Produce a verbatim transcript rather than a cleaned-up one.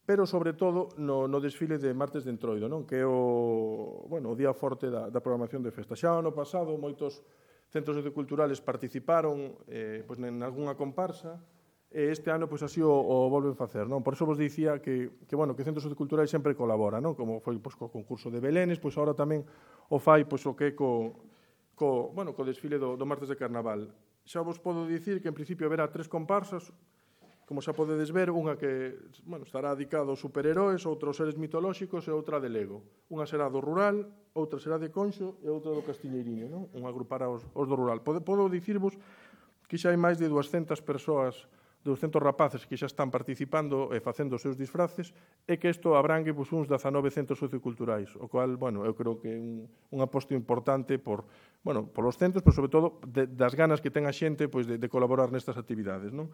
pero sobre todo no, no desfile de Martes de Entroido, non? Que é o, bueno, o día forte da, da programación de festa. Xa ano pasado moitos centros socioculturales participaron eh, pois, en algunha comparsa, e este ano pois, así o, o volven facer, non? Por iso vos dicía que, que, bueno, que centros socioculturales sempre colaboran, non? Como foi pois, co concurso de Belénes, pois agora tamén o fai pois, o que é co, co, bueno, co desfile do, do Martes de Carnaval. Xa vos podo dicir que en principio haberá tres comparsas, como xa podedes ver, unha que bueno, estará dedicada aos superheróis, outra aos seres mitolóxicos e outra de Lego. Unha será do rural, outra será de Conxo e outra do Castiñeiriño, non? Unha agrupará os, os do rural. Podo, podo dicirvos que xa hai máis de duascentas persoas, duascentos rapaces que xa están participando e facendo os seus disfraces, e que isto abrangue pois, uns dezanove centros socioculturais, o cual, bueno, eu creo que é un, un aposto importante por, bueno, por os centros, pero sobre todo de, das ganas que ten a xente pois, de, de colaborar nestas actividades, non?